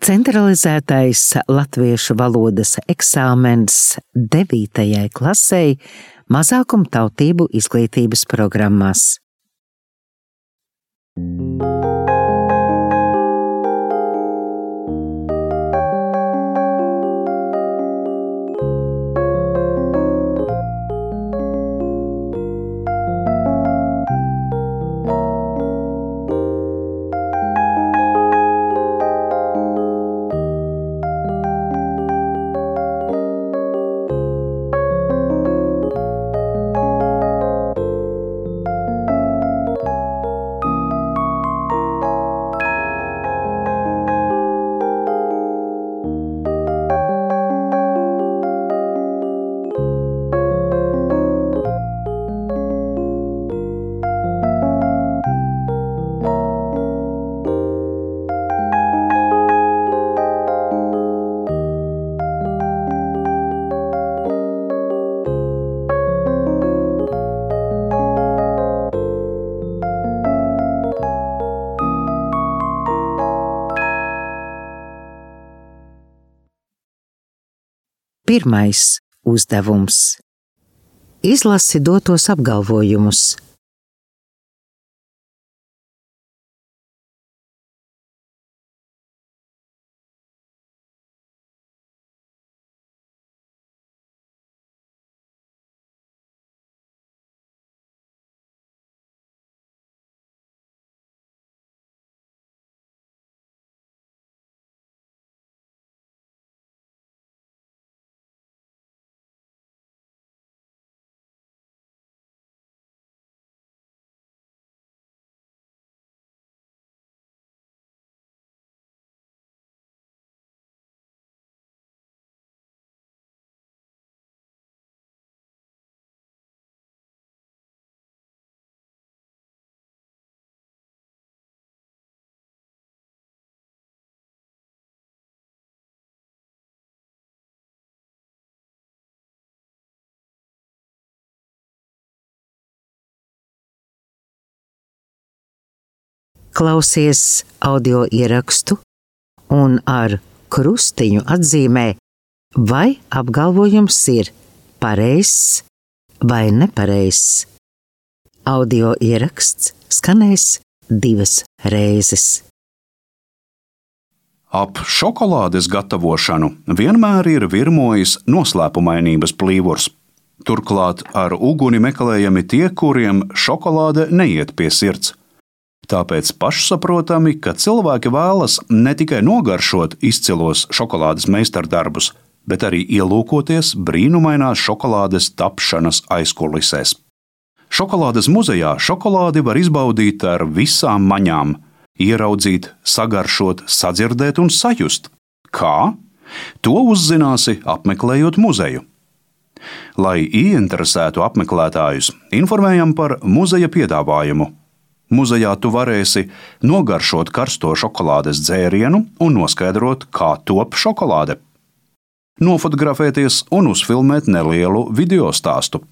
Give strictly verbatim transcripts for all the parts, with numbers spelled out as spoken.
Centralizētais latviešu valodas eksāmens devītajai klasei mazākumtautību izglītības programmās. Pirmais uzdevums. Izlasi dotos apgalvojumus. Klausies audio ierakstu un ar krustiņu atzīmē, vai apgalvojums ir pareizs vai nepareizs. Audio ieraksts skanēs divas reizes. Ap šokolādes gatavošanu vienmēr ir virmojis noslēpumainības plīvurs. Turklāt ar uguni meklējami tie, kuriem šokolāde neiet pie sirds. Tāpēc pašsaprotami, ka cilvēki vēlas ne tikai nogaršot izcilos šokolādes meistardarbus, bet arī ielūkoties brīnumainās šokolādes tapšanas aizkulisēs. Šokolādes muzejā šokolādi var izbaudīt ar visām maņām, ieraudzīt, sagaršot, sadzirdēt un sajust. Kā? To uzzināsi apmeklējot muzeju. Lai ieinteresētu apmeklētājus, informējam par muzeja piedāvājumu. Muzejā tu varēsi nogaršot karsto šokolādes dzērienu un noskaidrot, kā top šokolāde. Nofotografēties un uzfilmēt nelielu video stāstu.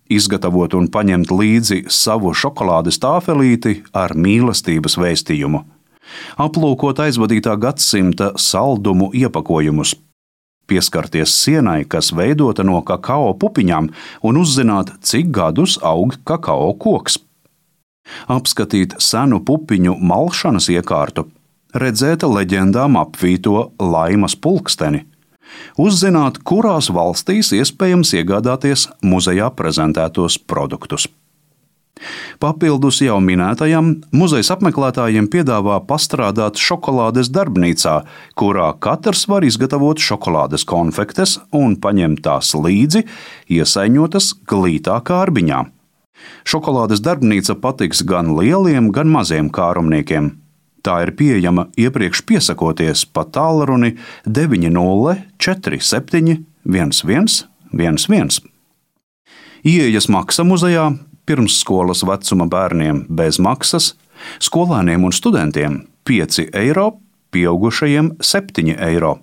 Izgatavot un paņemt līdzi savu šokolādes tāfelīti ar mīlestības vēstījumu. Aplūkot aizvadītā gadsimta saldumu iepakojumus. Pieskarties sienai, kas veidota no kakao pupiņām, un uzzināt, cik gadus aug kakao koks. Apskatīt senu pupiņu malšanas iekārtu, redzēt leģendām apvīto laimas pulksteni, uzzināt, kurās valstīs iespējams iegādāties muzejā prezentētos produktus. Papildus jau minētajam, muzejs apmeklētājiem piedāvā pastrādāt šokolādes darbnīcā, kurā katrs var izgatavot šokolādes konfektes un paņemt tās līdzi, iesaiņotas glītā kārbiņā. Šokolādes darbnīca patiks gan lieliem, gan maziem kārumniekiem. Tā ir pieejama iepriekš piesakoties pa tālruni deviņi nulle četri septiņi viens viens viens viens. Ieejas maksa muzejā pirmsskolas vecuma bērniem bez maksas, skolēniem un studentiem pieci eiro, pieaugušajiem septiņi eiro.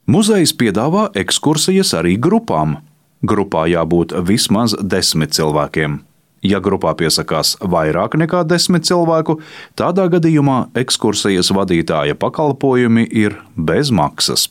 Muzejs piedāvā ekskursijas arī grupām. Grupā jābūt vismaz desmit cilvēkiem. Ja grupā piesakās vairāk nekā desmit cilvēku, tādā gadījumā ekskursijas vadītāja pakalpojumi ir bez maksas.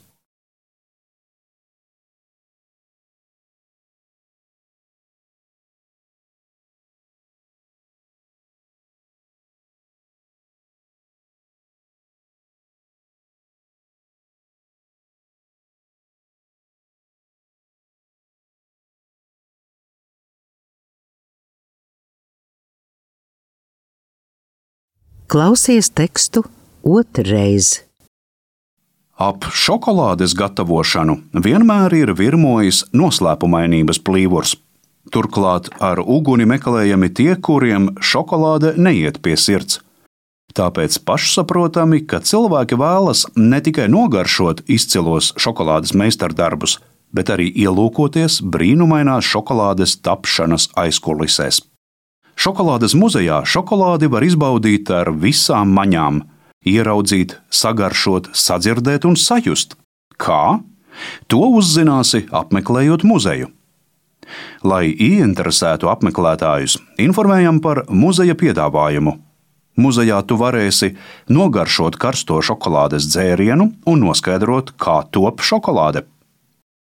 Klausies tekstu otrreiz. Ap šokolādes gatavošanu vienmēr ir virmojis noslēpumainības plīvurs. Turklāt ar uguni meklējami tie, kuriem šokolāde neiet pie sirds. Tāpēc pašsaprotami, ka cilvēki vēlas ne tikai nogaršot izcilos šokolādes meistardarbus, bet arī ielūkoties brīnumainās šokolādes tapšanas aizkulisēs. Šokolādes muzejā šokolādi var izbaudīt ar visām maņām, ieraudzīt, sagaršot, sadzirdēt un sajust. Kā? To uzzināsi apmeklējot muzeju. Lai ieinteresētu apmeklētājus, informējam par muzeja piedāvājumu. Muzejā tu varēsi nogaršot karsto šokolādes dzērienu un noskaidrot, kā top šokolāde.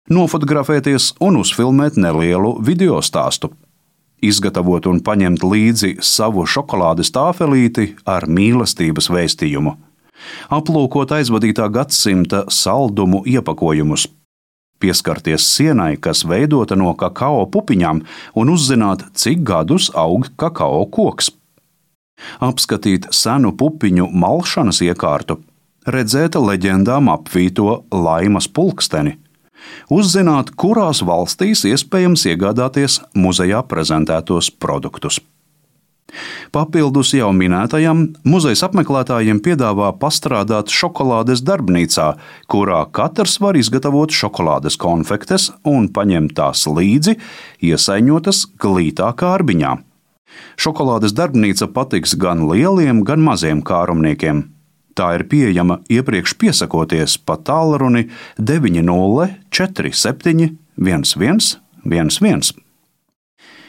Nofotografēties un uzfilmēt nelielu video stāstu. Izgatavot un paņemt līdzi savu šokolādes tāfelīti ar mīlestības vēstījumu. Aplūkot aizvadītā gadsimta saldumu iepakojumus. Pieskarties sienai, kas veidota no kakao pupiņām, un uzzināt, cik gadus aug kakao koks. Apskatīt senu pupiņu malšanas iekārtu, redzēt leģendām apvīto laimas pulksteni. Uzzināt, kurās valstīs iespējams iegādāties muzejā prezentētos produktus. Papildus jau minētajam, muzejs apmeklētājiem piedāvā pastrādāt šokolādes darbnīcā, kurā katrs var izgatavot šokolādes konfektes un paņemt tās līdzi, iesaiņotas glītā kārbiņā. Šokolādes darbnīca patiks gan lieliem, gan maziem kārumniekiem. Tā ir pieejama iepriekš piesakoties pa tālruni deviņi nulle četri septiņi viens viens viens viens.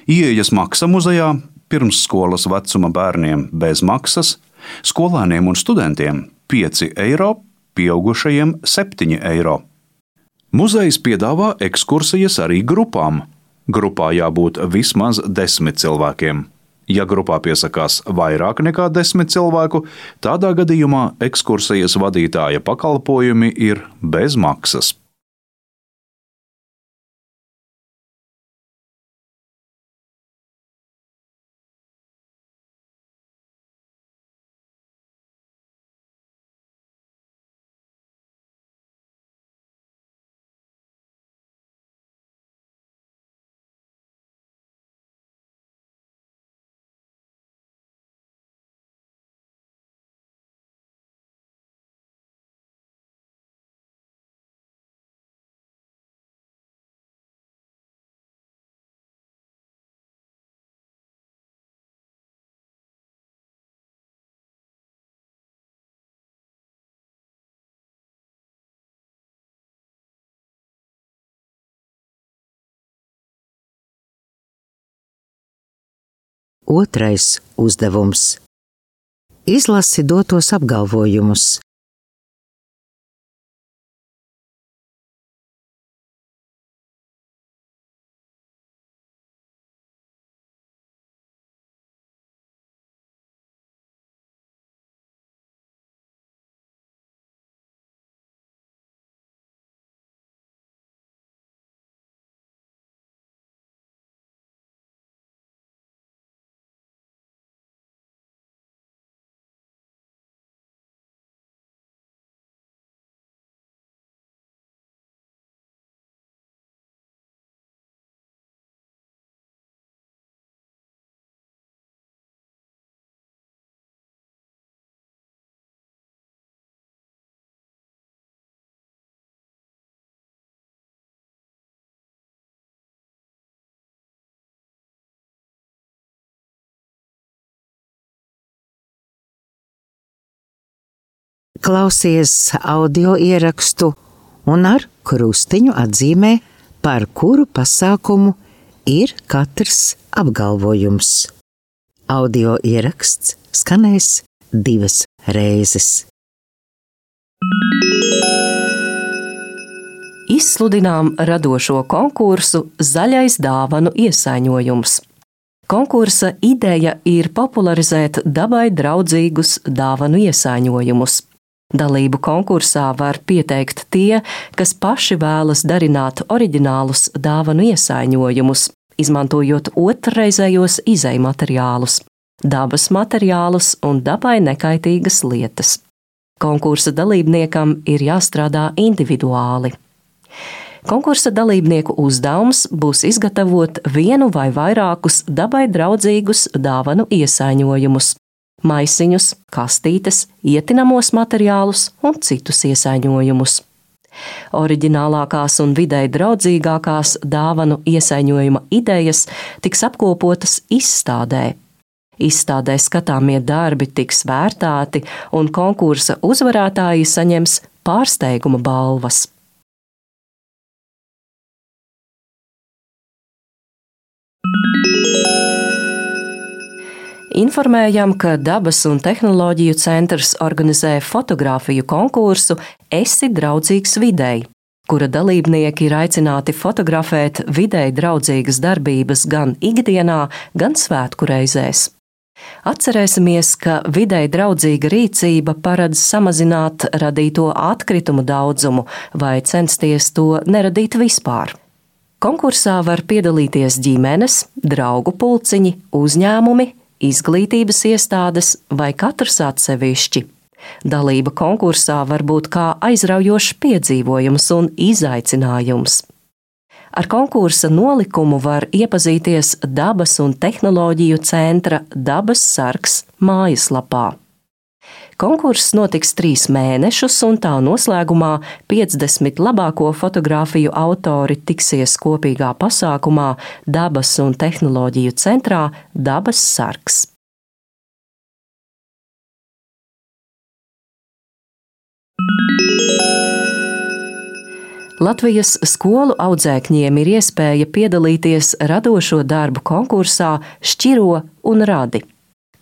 Ieejas maksa muzejā pirmsskolas vecuma bērniem bez maksas, skolēniem un studentiem pieci eiro, pieaugušajiem septiņi eiro. Muzejs piedāvā ekskursijas arī grupām. Grupā jābūt vismaz desmit cilvēkiem. Ja grupā piesakās vairāk nekā desmit cilvēku, tādā gadījumā ekskursijas vadītāja pakalpojumi ir bez maksas. Otrais uzdevums. Izlasi dotos apgalvojumus. Klausies audio ierakstu un ar krustiņu atzīmē, par kuru pasākumu ir katrs apgalvojums. Audio ieraksts skanēs divas reizes. Izsludinām radošo konkursu Zaļais dāvanu iesaiņojums. Konkursa ideja ir popularizēt dabai draudzīgus dāvanu iesaiņojumus. Dalību konkursā var pieteikt tie, kas paši vēlas darināt oriģinālus dāvanu iesaiņojumus, izmantojot otrreizējos izejmateriālus, dabas materiālus un dabai nekaitīgas lietas. Konkursa dalībniekam ir jāstrādā individuāli. Konkursa dalībnieku uzdevums būs izgatavot vienu vai vairākus dabai draudzīgus dāvanu iesaiņojumus, maisiņus, kastītes, ietinamos materiālus un citus iesaiņojumus. Oriģinālākās un videi draudzīgākās dāvanu iesaiņojuma idejas tiks apkopotas izstādē. Izstādē skatāmie darbi tiks vērtēti un konkursa uzvarētāji saņems pārsteiguma balvas. Informējam, ka Dabas un tehnoloģiju centrs organizē fotogrāfiju konkursu Esi draudzīgs videi, kura dalībnieki ir aicināti fotografēt videi draudzīgas darbības gan ikdienā, gan svētku reizēs. Atcerēsimies, ka videi draudzīga rīcība paredz samazināt radīto atkritumu daudzumu vai censties to neradīt vispār. Konkursā var piedalīties ģimenes, draugu pulciņi, uzņēmumi, izglītības iestādes vai katrs atsevišķi. Dalība konkursā var būt kā aizraujošs piedzīvojums un izaicinājums. Ar konkursa nolikumu var iepazīties Dabas un tehnoloģiju centra Dabas sargs mājaslapā. Konkurss notiks trīs mēnešus, un tā noslēgumā piecdesmit labāko fotogrāfiju autori tiksies kopīgā pasākumā Dabas un tehnoloģiju centrā Dabas sargs. Latvijas skolu audzēkņiem ir iespēja piedalīties radošo darbu konkursā Šķiro un radi.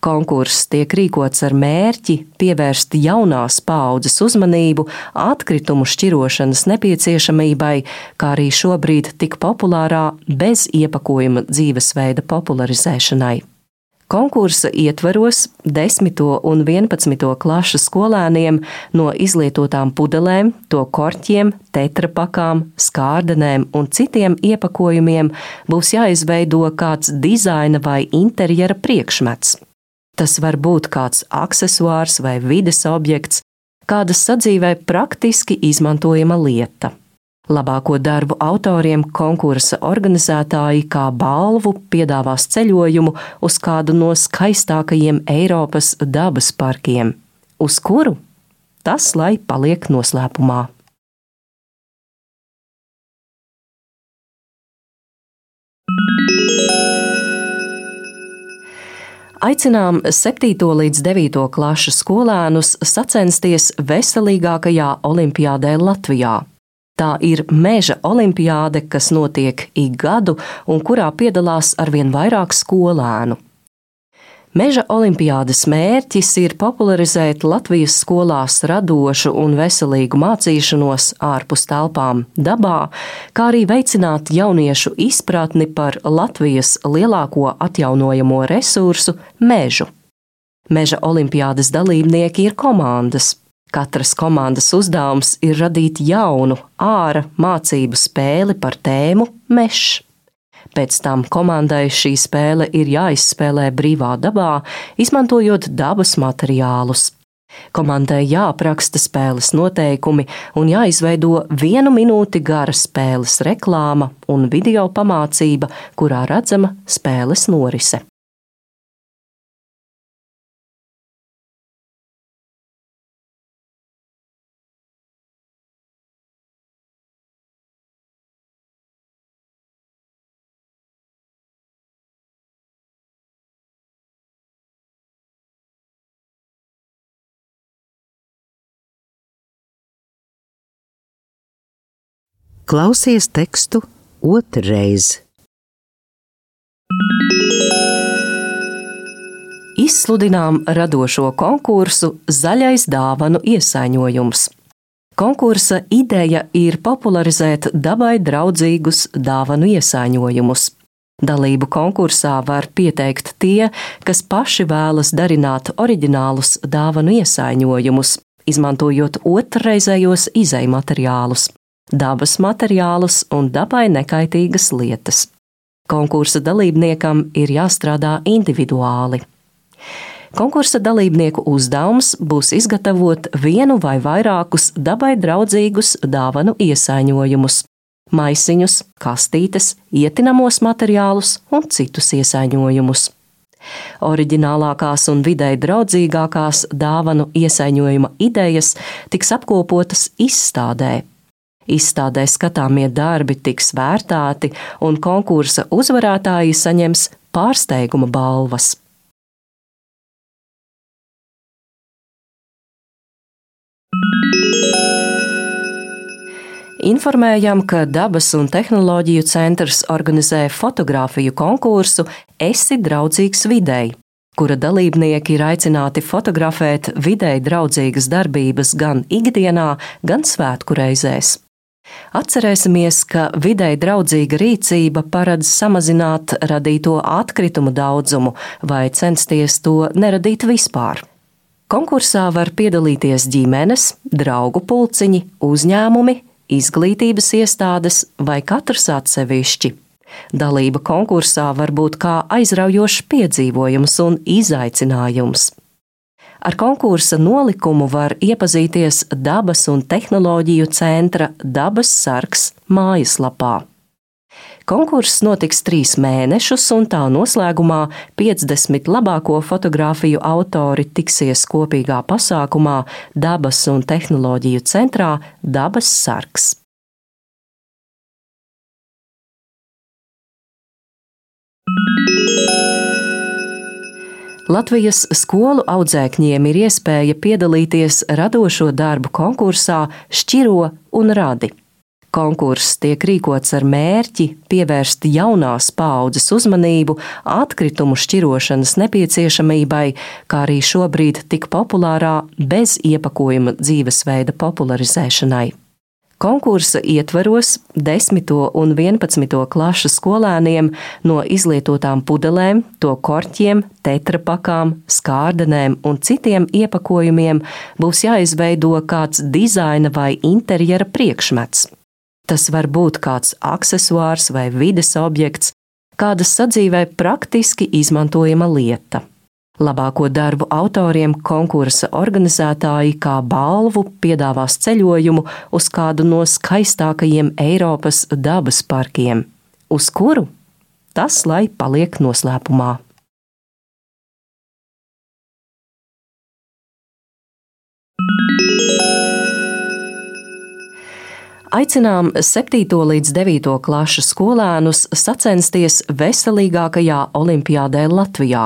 Konkurss tiek rīkots ar mērķi pievērst jaunās paaudzes uzmanību atkritumu šķirošanas nepieciešamībai, kā arī šobrīd tik populārā bez iepakojuma dzīvesveida popularizēšanai. Konkursa ietvaros desmito un vienpadsmito klašu skolēniem no izlietotām pudelēm, to korķiem, tetrapakām, skārdenēm un citiem iepakojumiem būs jāizveido kāds dizaina vai interjera priekšmets. Tas var būt kāds aksesuārs vai vides objekts, kāda sadzīvē praktiski izmantojama lieta. Labāko darbu autoriem konkursa organizētāji kā balvu piedāvās ceļojumu uz kādu no skaistākajiem Eiropas dabas parkiem. Uz kuru? Tas lai paliek noslēpumā. Aicinām septīto līdz devīto klašu skolēnus sacensties veselīgākajā olimpiādē Latvijā. Tā ir meža olimpiāde, kas notiek ik gadu un kurā piedalās arvien vairāk skolēnu. Meža olimpiādes mērķis ir popularizēt Latvijas skolās radošu un veselīgu mācīšanos ārpus telpām dabā, kā arī veicināt jauniešu izpratni par Latvijas lielāko atjaunojamo resursu – mežu. Meža olimpiādes dalībnieki ir komandas. Katras komandas uzdevums ir radīt jaunu, āra mācību spēli par tēmu mežs. Pēc tam komandai šī spēle ir jāizspēlē brīvā dabā, izmantojot dabas materiālus. Komandai jāapraksta spēles noteikumi un jāizveido vienu minūti gara spēles reklāma un video pamācība, kurā redzama spēles norise. Klausies tekstu otrreiz. Izsludinām radošo konkursu Zaļais dāvanu iesaiņojums. Konkursa ideja ir popularizēt dabai draudzīgus dāvanu iesaiņojumus. Dalību konkursā var pieteikt tie, kas paši vēlas darināt oriģinālus dāvanu iesaiņojumus, izmantojot otrreizējos izejmateriālus, dabas materiālus un dabai nekaitīgas lietas. Konkursa dalībniekam ir jāstrādā individuāli. Konkursa dalībnieku uzdevums būs izgatavot vienu vai vairākus dabai draudzīgus dāvanu iesaiņojumus, maisiņus, kastītes, ietinamos materiālus un citus iesaiņojumus. Oriģinālākās un videi draudzīgākās dāvanu iesaiņojuma idejas tiks apkopotas izstādē. Izstādē skatāmie darbi tiks vērtēti un konkursa uzvarētāji saņems pārsteiguma balvas. Informējam, ka Dabas un tehnoloģiju centrs organizē fotogrāfiju konkursu Esi draudzīgs videi, kura dalībnieki ir aicināti fotografēt videi draudzīgas darbības gan ikdienā, gan svētku reizēs. Atcerēsimies, ka videi draudzīga rīcība paredz samazināt radīto atkritumu daudzumu vai censties to neradīt vispār. Konkursā var piedalīties ģimenes, draugu pulciņi, uzņēmumi, izglītības iestādes vai katrs atsevišķi. Dalība konkursā var būt kā aizraujošs piedzīvojums un izaicinājums. Ar konkursa nolikumu var iepazīties Dabas un tehnoloģiju centra Dabas sargs mājaslapā. Konkurss notiks trīs mēnešus, un tā noslēgumā piecdesmit labāko fotogrāfiju autori tiksies kopīgā pasākumā Dabas un tehnoloģiju centrā Dabas sargs. Latvijas skolu audzēkņiem ir iespēja piedalīties radošo darbu konkursā Šķiro un radi. Konkurss tiek rīkots ar mērķi pievērst jaunās paaudzes uzmanību atkritumu šķirošanas nepieciešamībai, kā arī šobrīd tik populārā bez iepakojuma dzīvesveida popularizēšanai. Konkursa ietvaros desmito un vienpadsmito klašu skolēniem no izlietotām pudelēm, to korķiem, tetrapakām, skārdenēm un citiem iepakojumiem būs jāizveido kāds dizaina vai interjera priekšmets. Tas var būt kāds aksesuārs vai vides objekts, kāda sadzīvē praktiski izmantojama lieta. Labāko darbu autoriem konkursa organizētāji kā balvu piedāvās ceļojumu uz kādu no skaistākajiem Eiropas dabas parkiem. Uz kuru? Tas lai paliek noslēpumā. Aicinām septīto līdz devīto klašu skolēnus sacensties veselīgākajā olimpiādē Latvijā.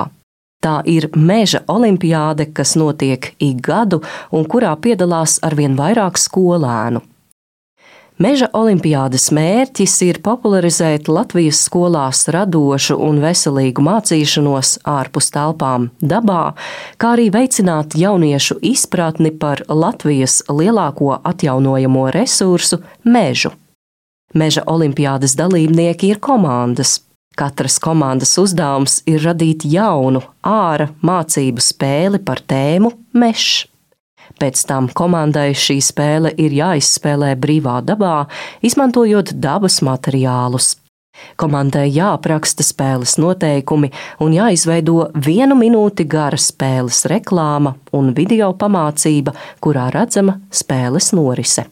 Tā ir meža olimpiāde, kas notiek ik gadu un kurā piedalās arvien vairāk skolēnu. Meža olimpiādes mērķis ir popularizēt Latvijas skolās radošu un veselīgu mācīšanos ārpus telpām dabā, kā arī veicināt jauniešu izpratni par Latvijas lielāko atjaunojamo resursu – mežu. Meža olimpiādes dalībnieki ir komandas. Katras komandas uzdevums ir radīt jaunu, āra mācību spēli par tēmu mežs. Pēc tam komandai šī spēle ir jāizspēlē brīvā dabā, izmantojot dabas materiālus. Komandai jāapraksta spēles noteikumi un jāizveido vienu minūti gara spēles reklāma un video pamācība, kurā redzama spēles norise.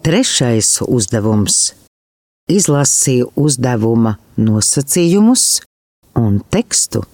Trešais uzdevums – izlasīja uzdevuma nosacījumus un tekstu.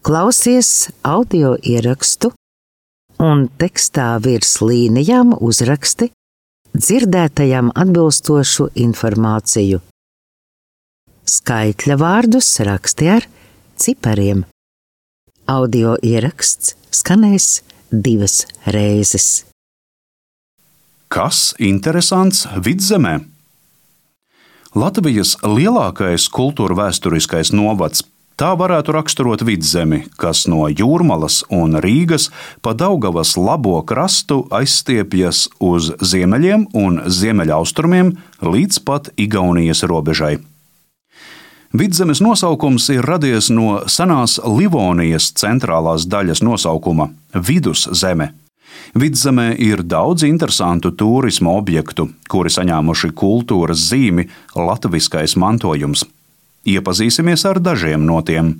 Klausies audio ierakstu un tekstā virs līnijām uzraksti dzirdētajam atbilstošu informāciju. Skaitļa vārdus raksti ar cipariem. Audio ieraksts skanēs divas reizes. Kas interesants Vidzemē? Latvijas lielākais kultūra vēsturiskais novads. Tā varētu raksturot Vidzemi, kas no Jūrmalas un Rīgas pa Daugavas labo krastu aizstiepjas uz ziemeļiem un ziemeļaustrumiem līdz pat Igaunijas robežai. Vidzemes nosaukums ir radies no senās Livonijas centrālās daļas nosaukuma – Viduszeme. Vidzemē ir daudz interesantu tūrisma objektu, kuri saņēmuši kultūras zīmi latviskais mantojums. Iepazīsimies ar dažiem no tiem.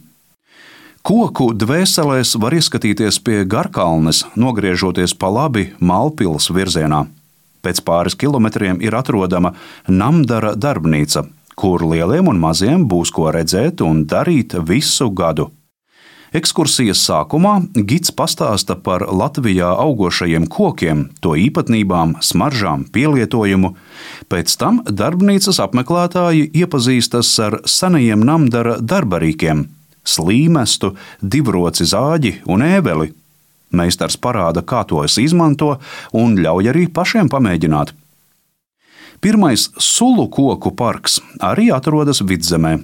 Koku dvēselēs var ieskatīties pie Garkalnes, nogriežoties pa labi Malpils virzienā. Pēc pāris kilometriem ir atrodama Namdara darbnīca, kur lieliem un maziem būs ko redzēt un darīt visu gadu. Ekskursijas sākumā gids pastāsta par Latvijā augošajiem kokiem, to īpatnībām, smaržām, pielietojumu. Pēc tam darbnīcas apmeklētāji iepazīstas ar senajiem Namdara darbarīkiem – slīmestu, divroci zāģi un ēbeli. Meistars parāda, kā tos izmanto un ļauj arī pašiem pamēģināt. Pirmais sulu koku parks arī atrodas Vidzemē.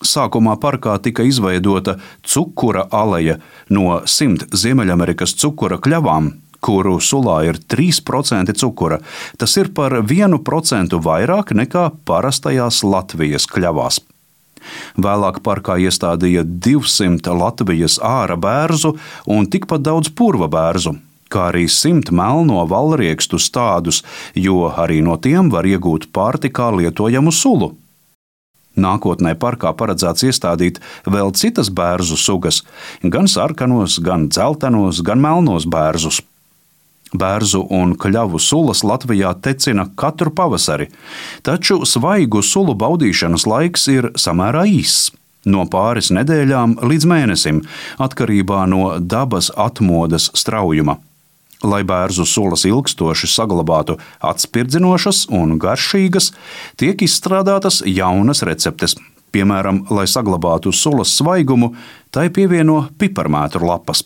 Sākumā parkā tika izveidota cukura aleja no simt Ziemeļamerikas cukura kļavām, kuru sulā ir trīs procenti cukura. Tas ir par vienu procentu vairāk nekā parastajās Latvijas kļavās. Vēlāk parkā iestādīja divsimt Latvijas āra bērzu un tikpat daudz purva bērzu, kā arī simt melno valriekstu stādus, jo arī no tiem var iegūt pārtikā lietojamu sulu. Nākotnē parkā paredzēts iestādīt vēl citas bērzu sugas, gan sarkanos, gan dzeltenos, gan melnos bērzus. Bērzu un kļavu sulas Latvijā tecina katru pavasari, taču svaigu sulu baudīšanas laiks ir samērā īss, no pāris nedēļām līdz mēnesim, atkarībā no dabas atmodas straujuma. Lai bērzu sulas ilgstoši saglabātu atspirdzinošas un garšīgas, tiek izstrādātas jaunas receptes. Piemēram, lai saglabātu sulas svaigumu, tai pievieno piparmētru lapas.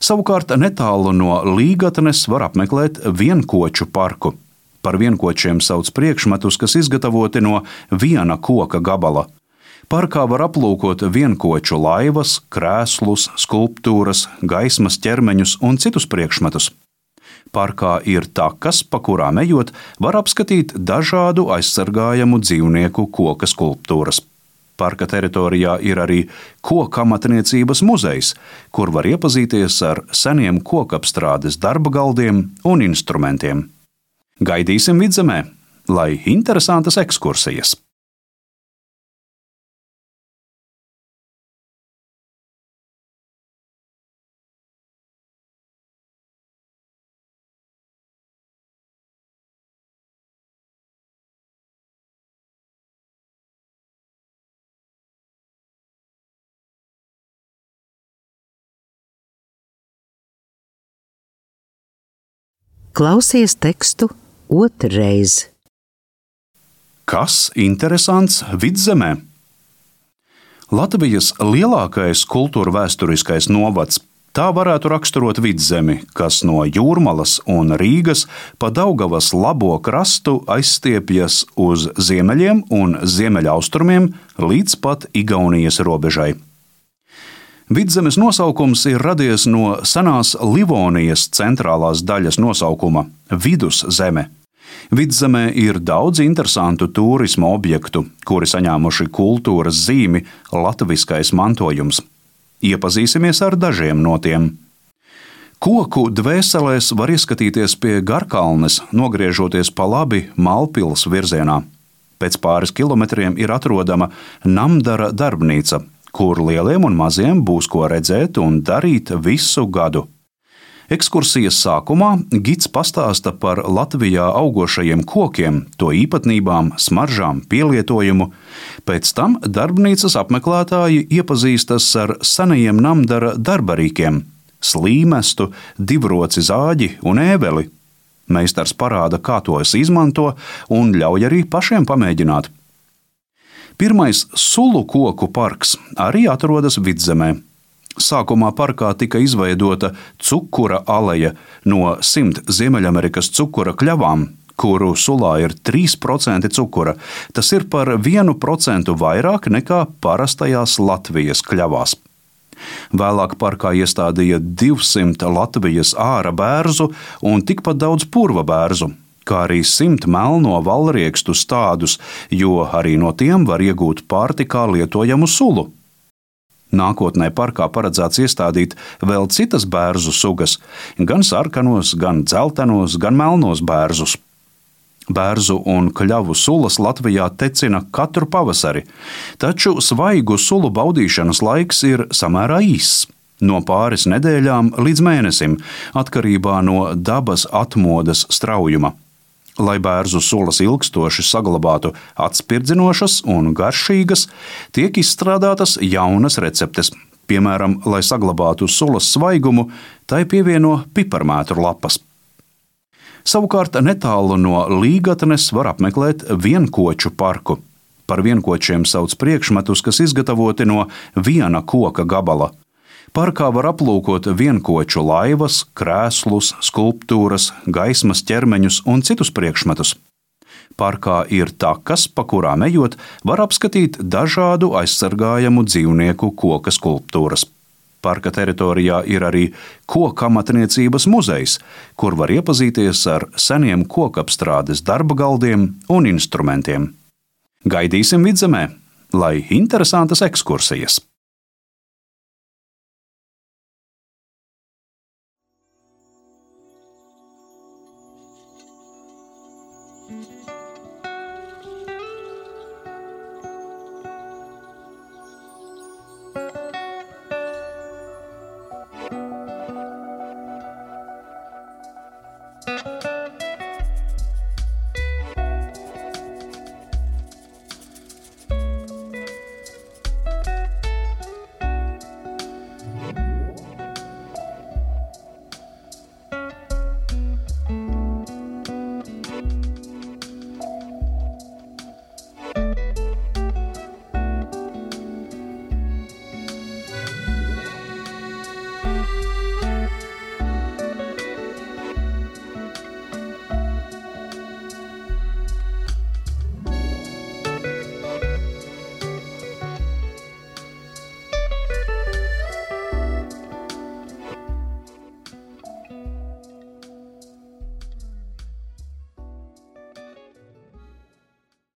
Savukārt netālu no Līgatnes var apmeklēt vienkoču parku. Par vienkočiem sauc priekšmetus, kas izgatavoti no viena koka gabala. Parkā var aplūkot vienkoču laivas, krēslus, skulptūras, gaismas ķermeņus un citus priekšmetus. Parkā ir takas, pa kurām ejot, var apskatīt dažādu aizsargājamu dzīvnieku koka skulptūras. Parka teritorijā ir arī kokamatniecības muzejs, kur var iepazīties ar seniem kokapstrādes darba galdiem un instrumentiem. Gaidīsim Vidzemē, lai interesantas ekskursijas! Klausies tekstu otrreiz. Kas interesants Vidzemē? Latvijas lielākais kultūrvēsturiskais novads. Tā varētu raksturot Vidzemi, kas no Jūrmalas un Rīgas pa Daugavas labo krastu aizstiepjas uz ziemeļiem un ziemeļaustrumiem līdz pat Igaunijas robežai. Vidzemes nosaukums ir radies no senās Livonijas centrālās daļas nosaukuma – Viduszeme. Vidzemē ir daudz interesantu tūrisma objektu, kuri saņēmuši kultūras zīmi latviskais mantojums. Iepazīsimies ar dažiem no tiem. Koku dvēselēs var ieskatīties pie Garkalnes, nogriežoties pa labi Malpils virzienā. Pēc pāris kilometriem ir atrodama Namdara darbnīca, kur lieliem un maziem būs ko redzēt un darīt visu gadu. Ekskursijas sākumā gids pastāsta par Latvijā augošajiem kokiem, to īpatnībām, smaržām, pielietojumu. Pēc tam darbnīcas apmeklētāji iepazīstas ar senajiem Namdara darbarīkiem – slīmestu, divroci zāģi un ēveli. Meistars parāda, kā tos izmanto un ļauj arī pašiem pamēģināt. Pirmais sulu koku parks arī atrodas Vidzemē. Sākumā parkā tika izveidota cukura aleja no simt Ziemeļamerikas cukura kļavām, kuru sulā ir trīs procenti cukura. Tas ir par vienu procentu vairāk nekā parastajās Latvijas kļavās. Vēlāk parkā iestādīja divsimt Latvijas āra bērzu un tikpat daudz purva bērzu, kā arī simt melno valriekstu stādus, jo arī no tiem var iegūt pārtikā lietojamu sulu. Nākotnē parkā paredzēts iestādīt vēl citas bērzu sugas, gan sarkanos, gan dzeltenos, gan melnos bērzus. Bērzu un kļavu sulas Latvijā tecina katru pavasari, taču svaigu sulu baudīšanas laiks ir samērā īss. No pāris nedēļām līdz mēnesim, atkarībā no dabas atmodas straujuma. Lai bērzu sulas ilgstoši saglabātu atspirdzinošas un garšīgas, tiek izstrādātas jaunas receptes. Piemēram, lai saglabātu sulas svaigumu, tai pievieno piparmētru lapas. Savukārt netālu no Līgatnes var apmeklēt vienkoču parku. Par vienkočiem sauc priekšmetus, kas izgatavoti no viena koka gabala. Parkā var aplūkot vienkoču laivas, krēslus, skulptūras, gaismas ķermeņus un citus priekšmetus. Parkā ir takas, pa kurām ejot, var apskatīt dažādu aizsargājamu dzīvnieku koka skulptūras. Parka teritorijā ir arī kokamatniecības muzejs, kur var iepazīties ar seniem kokapstrādes darba galdiem un instrumentiem. Gaidīsim Vidzemē, lai interesantas ekskursijas!